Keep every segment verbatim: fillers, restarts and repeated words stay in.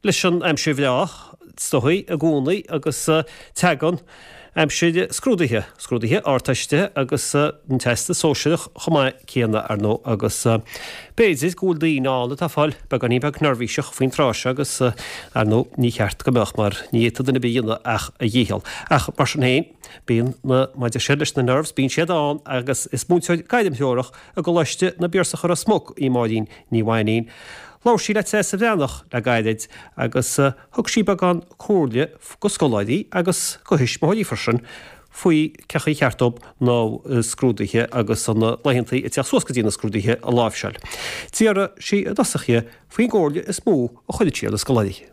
leis an aimsir bhreá is dóichí i gcónaí agus tagann aimsir scrúduithe, scrúduithe Ardteiste agus an Teastas Sóisearach chomh maith céanna ar ndóigh agus b'fhéidir go bhfuil daoine ann atá ag fáil beagáinín beag neirbhíseach faoin tráth seo agus ar ndóigh ní cheart go mbeadh mar ní fhéadfadh duine ar bith a dhéanamh ach a dhícheall. Ach mar sin féin, bíonn na, mar a deir siad leis na nerves, bíonn siad ann agus is múinteoir gairmthreorach i gColáiste na bPiarsach i Ros Muc í Máirín Ní Mhainín. Labhair sí le Treasa Bhreathnach le gairid agus thug sí beagán comhairle go scoláirí agus go thuismitheoirí freisin faoi cén chaoi ar cheart dóibh na scrúduithe agus na laethanta ag teacht suas go dtí na scrúduithe a láimhseáil. D'fhiafraigh sí i dtosach dhi faoin gcomhairle is mó a chuireann sí ar na scoláirí.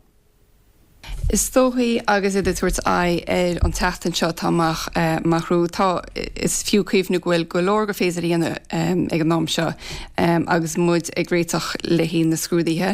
Is dóichí agus iad ag tabhairt aghaidh ar an tseachtain seo atá amach amach romhainn, tá, is fiú cuimhniú go bhfuil go leor gur féidir a dhéanamh ag an am seo agus muid ag réiteach le haghaidh na scrúduithe.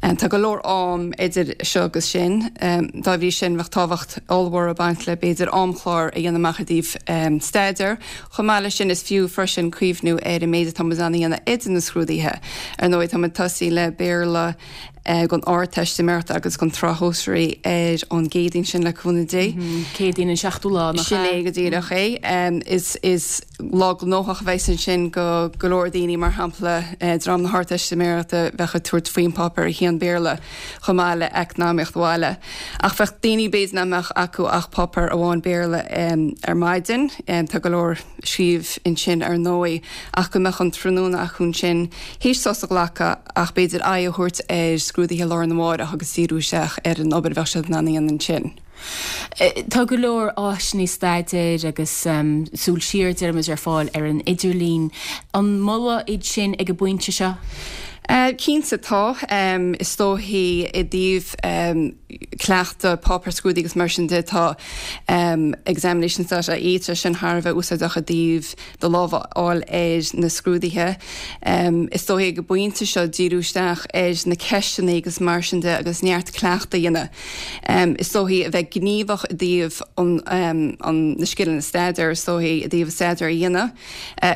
Tá go leor am idir seo agus sin. Dá bhrí sin, bheadh tábhacht ollmhór ag baint le b'fhéidir amchlár a dhéanamh amach i dtaobh staidéir. Chomh maith leis sin, is fiú freisin cuimhniú ar an méid atá muid in ann a dhéanamh idir na scrúduithe. Ar ndóigh, tá muid ag tosaí le Béarla, don Ardteistiméireacht agus don tSraith Shóisearach ar an gCéadaoin sin le cúnamh Dé. Céadaoin an seachtú lá, nach ea? Sin é go díreach é. Is is lá gnóthach a bheas ansin go go leor daoine, mar shampla dream na hArdteistiméireachta bheadh ag tabhairt faoin páipéar a haon Béarla chomh maith le Eacnamaíocht Bhaile. Ach bheadh daoine b'fhéidir nach mbeadh acu ach páipéar amháin Béarla ar maidin. Tá go leor scríobh ansin ar ndóigh ach go mbeadh an tráthnóna acu ansin théis sos a ghlacadh ach b'fhéidir aghaidh a thabhairt ar scrúduithe lá arna mhárach agus díriú isteach ar an obair a bheadh siad in ann a dhéanamh ansin. Tá go leor áiseanna staidéir agus súil siar, deirimid, ar fáil ar an idirlíon. An moladh iad sin ag an bpointe seo? Cinnte tá. Is dóichí i dtaobh cleachtadh páipéar scrúdaithe agus mar sin de tá examinations dot ie, tá sin thar a bheith úsáideach i dtaobh do lámh a fháil ar na scrúduithe. Is dóichí ag an bpointe seo díriú isteach ar na ceisteanna agus mar sin de agus neart cleachtadh a dhéanamh. Is dóichí a bheith gníomhach i dtaobh an na scileanna staidéir, is dóichí i dtaobh staidéar a dhéanamh.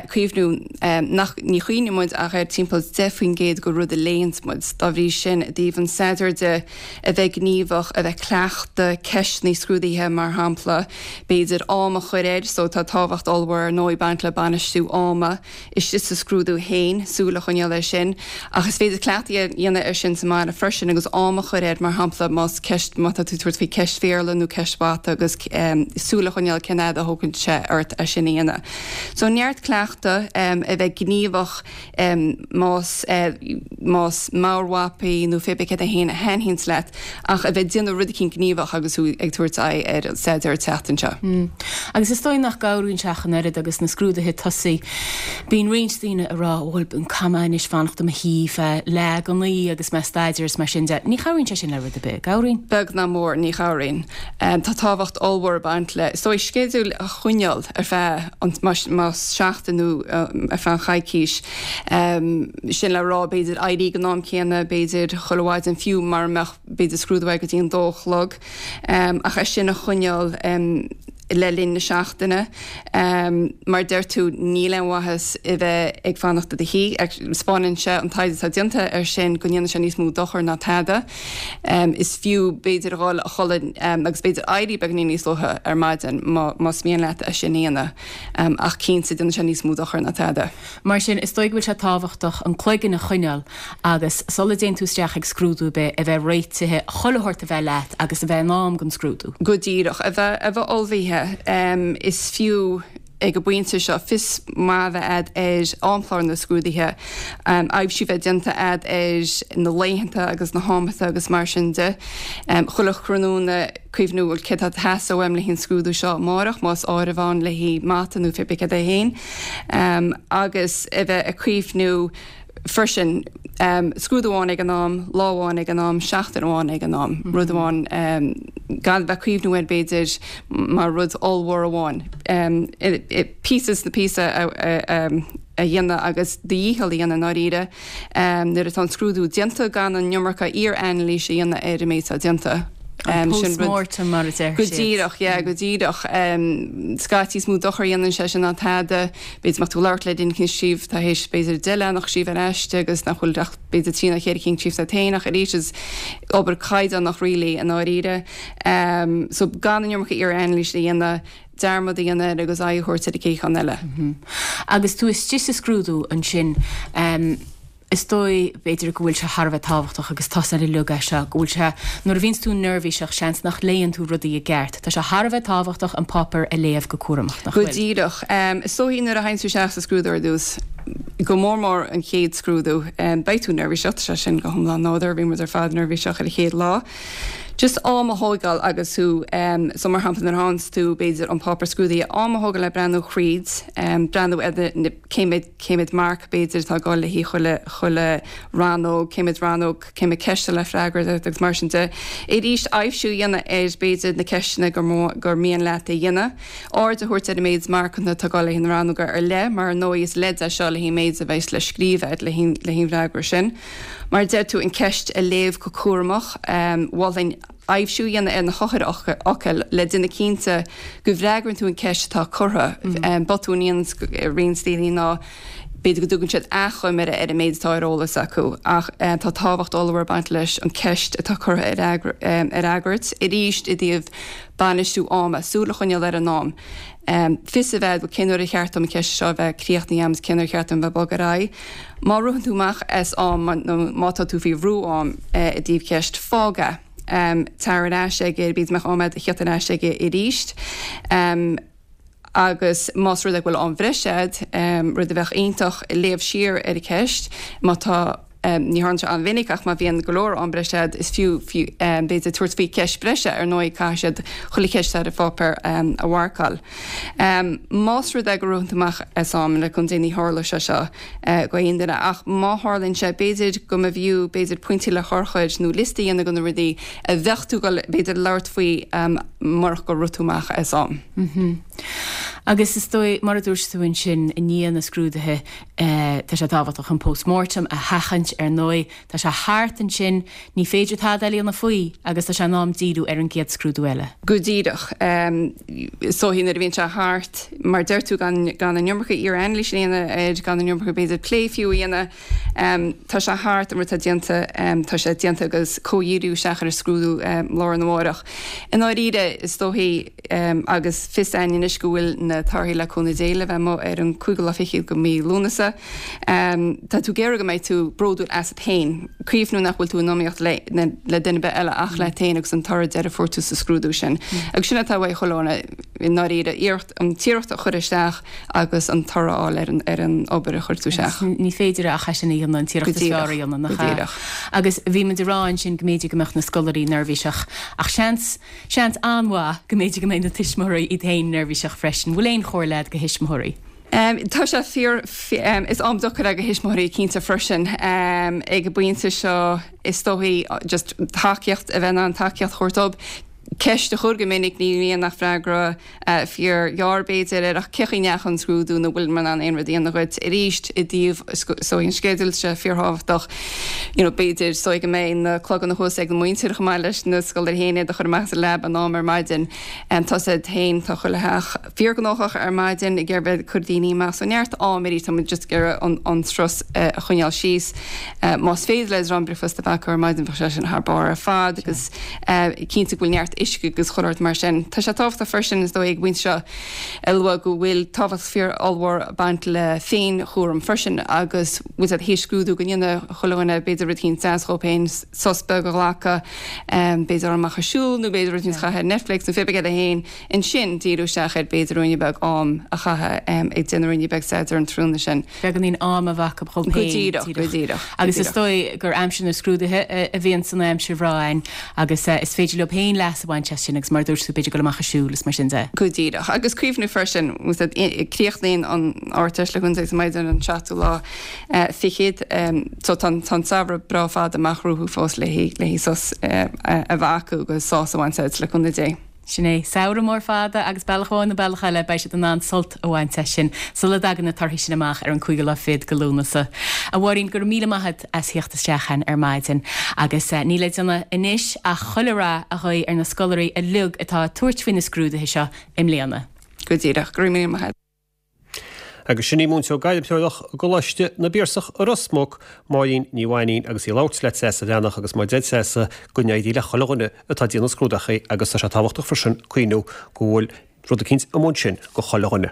Cuimhniú nach, ní chuimhníonn muid ach ar timpeall deich faoin gcéad de rud a léann muid. Dá bhrí sin, i dtaobh an staidéir de, a bheith gníomhach, a bheith cleachtadh ceisteanna scrúdaithe mar shampla, b'fhéidir am a chur air, so tá tábhacht ollmhór ar ndóigh ag baint le bainistiú ama istigh sa scrúdú féin, súil a choinneáil air sin. Ach is féidir cleachtadh a dhéanamh air sin sa mbaile freisin agus am a chur air, mar shampla más ceist, má tá tú ag tabhairt faoi ceist Bhéarla nó ceist Mhata agus súil a choinneáil cén fhad a thógann sé ort é sin a dhéanamh. So neart cleachtadh, a bheith gníomhach más más meabhairmhapaí nó pé bith céard é féin a thaitníonns leat ach a bheith ag déanamh rud eicínt gníomhach agus thú ag tabhairt aghaidh ar an staidéar an tseachtain seo. Agus is dóigh nach gcabhraíonn sé ach an oiread agus na scrúduithe ag tosaí. Bíonn roinnt daoine ag rá, bhuel, caithfidh mé anois fanacht i mo shuí feadh leath don naoi agus mé ag staidéar is mar sin de. Ní chabhraíonn sé sin le rud ar bith, an gcabhraíonn? Beag ná mór, ní chabhraíonn. Tá tábhacht ollmhór ag baint le, is dóigh, sceideal a choinneáil ar feadh an, más seachtain nó ar feadh an choicís. Sin le rá, b'fhéidir éirí ag an am céanna, b'fhéidir chuile mhaidin, fiú mara mbeadh b'fhéidir scrúdú go dtí an dó a chlog, ach é sin a choinneáil le linn na seachtaine. Mar deir tú, níl aon mhaitheas i bheith ag fanacht i do shuí. Spáineann sé, an taighde atá déanta air sin, go ndéanann sé níos mó dochair ná tada. Is fiú, b'fhéidir, a dhul a chodladh agus b'fhéidir éirí beagáinín níos luaithe ar maidin más mian leat é sin a dhéanamh. Ach cinnte, déanann sé níos mó dochair ná tada. Mar sin, is dóigh go bhfuil sé tábhachtach an cloigeann a choinneáil agus sula dtéann tú isteach ag scrúdú ar bith, a bheith réitithe, chuile shórt a bheith leat agus a bheith in am don scrúdú. Go díreach. A bheith, a bheith ullmhaithe. Is fiú ag an bpointe seo fios maith a bheith a'd ar amchlár na scrúduithe, aibhsiú a bheith déanta a'd ar na laethanta agus na hamanta agus mar sin de. Chuile thráthnóna cuimhniú bhuel céard atá ag teastáil uaim le haghaidh an scrúdú seo amárach, más áireamh ann le haghaidh mata nó pé bith céard é féin. Agus a bheith ag cuimhniú freisin, scrúdú amháin ag an am, lá amháin ag an am, seachtain amháin ag an am, rud amháin, gan a bheith ag cuimhniú air b'fhéidir mar rud ollmhór amháin. Píosa is píosa a dhéanamh agus do dhícheall a dhéanamh i ndáiríre nuair atá an scrúdú déanta gan an iomarca iar-anailís a dhéanamh ar an méid atá déanta. An post-mortem mar a deir Go díreach, yeah, go díreach. Scaití is mó dochar a dhéanann sé sin ná tada, b'fhéidir má tá tú ag labhairt le duine éicint scríobh tá théis b'fhéidir deich leathanach scríobh ar aiste agus nach bhfuil ach b'fhéidir trí nó ceithre cinn scríofa agat féin ach arís is obair caighdeánach really i ndáiríre. So gan an iomarca iar-anailís a dhéanamh, dearmad a dhéanamh air agus aghaidh a thabhairt ar an gcéad cheann eile. Agus tú istigh sa scrúdú ansin, is dóigh, b'fhéidir, go bhfuil sé thar a bheith tábhachtach agus tá a fhios é seo, go bhfuil sé, nuair a bhíonns tú neirbhíseach, seans nach léann tú rudaí i gceart. Tá sé thar a bheith tábhachtach an páipéar a léamh go cúramach, nach Go bhfuil? díreach. Is dóigh nuair a théann tú isteach sa scrúdú ar dtús, go mór mór an chéad scrúdú, beidh tú neirbhíseach, tá sé sin go hiomlán nádúrtha, bhí muid ar fad neirbhíseach ar an chéad lá. Just am a thógáil agus tú, so mar shampla nuair a fhaigheanns tú b'fhéidir an páipéar scrúdaithe, am a thógáil le breathnú thríd, breathnú ar na cé mhéad, cé mhéad marc b'fhéidir atá ag dul le haghaidh chuile, chuile rannóg, cé mhéad rannóg, cé mhéad ceist le freagairt agus mar sin de. Arís aibhsiú a dhéanamh ar b'fhéidir na ceisteanna gur mó, gur mian leat a dhéanamh. Aird a thabhairt ar an méid marcanna atá ag dul le haghaidh na rannóga ar leith mar ar ndóigh is leid é seo le haghaidh an méid a bheas le scríobh agat le haghaidh, le haghaidh an fhreagra sin. Mar a deir tú, an ceist a léamh go cúramach, mholfainn aibhsiú a dhéanamh ar na heochairfhocail le déanamh cinnte go bhfreagraíonn tú an ceist atá curtha. Botún a dhéanann roinnt daoine ná b'fhéidir go dtugann siad achoimre ar an méid atá ar eolas acu ach tá tábhacht ollmhór ag baint leis an ceist atá curtha a fhreagairt. Arís i dtaobh bainistiú ama, súil a choinneáil ar an am. Fios a bheith agat cén uair ar cheart dom an cheist seo a bheith críochnaithe agam agus cén uair ar cheart dom bheith ag bogadh ar aghaidh. Má ritheann tú amach as am nó má tá tú faoi bhrú am i dtaobh ceist, fág é. Tar ar ais aige, b'fhéidir go mbeadh am agat a theacht ar ais aige arís. Agus más rud é go bhfuil am bhreise agat, rud a bheadh iontach, léamh siar ar an cheist má tá. Ní tharlaíonn sé an-mhinic ach má bhíonn go leor am breise agat is fiú b'fhéidir tabhairt faoi cheist breise, ar ndóigh caithfidh siad chuile cheist ar an pháipéar a mharcáil. Más rud é go ritheann tú amach as am, le cúnamh Dé ní tharlóidh sé seo go aon duine ach má tharlaíonn sé b'fhéidir go mb'fhiú b'fhéidir pointí le heochair nó liosta a dhéanamh de na rudaí a bheadh tú ag dul b'fhéidir labhairt faoi murach gur rith tú amach as am. Agus is dóigh, mar a dúirt tú ansin, i ndiaidh na scrúduithe, tá sé tábhachtach an post-mortem a sheachaint, ar ndóigh. Tá sé thart ansin, ní féidir tada eile a dhéanamh faoi agus tá sé in am díriú ar an gcéad scrúdú eile. Go díreach. Is dóigh nuair a bhíonn sé thart, mar deir tú, gan gan an iomarca iar-anailís a dhéanamh air, gan an iomarca b'fhéidir plé fiú a dhéanamh, tá sé thart, an rud atá déanta, tá sé déanta agus comhdhíriú isteach ar an scrúdú lá arna mhárach. I ndáiríre, is dóichí, agus fios againn anois go bhfuil na torthaí le cúnamh Dé le bheith amuigh ar an cúigiú lá fichead de mhí Lúnasa, tá tú ag iarraidh go mbeidh tú bródúil asat féin, cuimhniú nach bhfuil tú in iomaíocht le le duine ar bith eile ach leat féin agus an toradh deiridh a fuair tú sa scrúdú sin. Agus sin atá uaidh chuile dhuine i ndáiríre, iarracht an t-iarracht a chur isteach agus an toradh a fháil ar an ar an obair a chuir tú isteach. Ní féidir ach é sin a dhéanamh, an t-iarracht is fearr a dhéanamh, nach ea? Agus bhí muid ag rá ansin go mb'fhéidir go mbeadh na scoláirí neirbhíseach ach seans, seans an-mhaith go mb'fhéidir go mbeidh na tuismitheoirí iad féin neirbhíseach freisin. Bhfuil aon chomhairle agat do thuismitheoirí? Tá sé fíor, is am deacair é do thuismitheoirí cinnte freisin. Ag an bpointe seo is dóichí just tacaíocht, a bheith in ann tacaíocht a thabhairt dóibh. Ceist a chur go minic, ní bhíonn ach freagra fíor ghearr b'fhéidir air ach cén chaoi a ndeachaigh an scrúdú nó bhfuil mé in ann aon rud a dhéanamh dhuit arís i dtaobh so an sceideal sé fíorthábhachtach you know b'fhéidir so go mbeidh na cloganna thuas ag an muintir chomh maith leis na scoláirí féin iad a chur amach as an leaba in am ar maidin. Tá siad féin tá chuile theach fíorghnóthach ar maidin ag iarraidh bheith ag cur daoine amach so neart am arís tá muid just ag iarraidh an an strus a choinneáil síos. Más féidir le dream bricfeasta a bheith acu ar maidin bheadh sé sin thar barr ar fad agus cinnte go bhfuil neart uisce agus chuile shórt mar sin. Tá sé tábhachtach freisin is dóigh ag an bpointe seo a lua go bhfuil tábhacht fíor ollmhór ag baint le féin-chúram freisin agus bhfuil siad théis scrúdú go ndéana chuile dhuine b'fhéidir rud éicint deas dhóibh féin, sos beag a ghlacadh, b'fhéidir dul amach ag siúl nó b'fhéidir rud éicint a chaitheamh ar Netflix nó pé ar bith féin, ansin díriú isteach ar b'fhéidir ruainne beag am a chaitheamh ag déanamh ruainne beag staidéir an tráthnóna sin. Beagáinín am a bheith acu dhóibh féin. Go díreach, go díreach. Agus is dóigh gur aimsir na scrúduithe a bhíonn san aimsir bhreá againn agus is féidir leo féin leas a bhaint as sin agus mar a dúirt tú b'fhéidir dul amach ag siúl is mar sin de. Go díreach. Agus cuimhniú freisin, críochnaíonn an Ardteist le cúnamh Dé maidin an seachtú lá fichead so tá an samhradh breá fada amach rompu fós le haghaidh sos a bheith acu agus sásamh a bhaint as le cúnamh Dé. Sin é, samhradh mór fada agus bealach amháin nó bealach eile beidh siad in ann sult a bhaint as sin sula dtagann na torthaí sin amach ar an cúigiú lá fichead de Lúnasa. A Mháirín, go raibh míle maith agat as theacht isteach chugainn ar maidin agus níl le déanamh anois ach chuile rath a ghuí ar na scoláirí uilig atá ag tabhairt faoi na scrúduithe seo i mbliana. Go díreach, go raibh míle maith agat. Agus sin í múinteoir gairmthreorach i gColáiste na bPiarsach i Ros Muc, Máirín Ní Mhainín agus í ag labhairt le Treasa Bhreathnach agus mar deir Treasa go n-éirí le chuile dhuine atá ag déanamh scrúdaithe agus tá sé tábhachtach freisin cuimhniú go bhfuil rud eicínt amuigh ansin go chuile dhuine.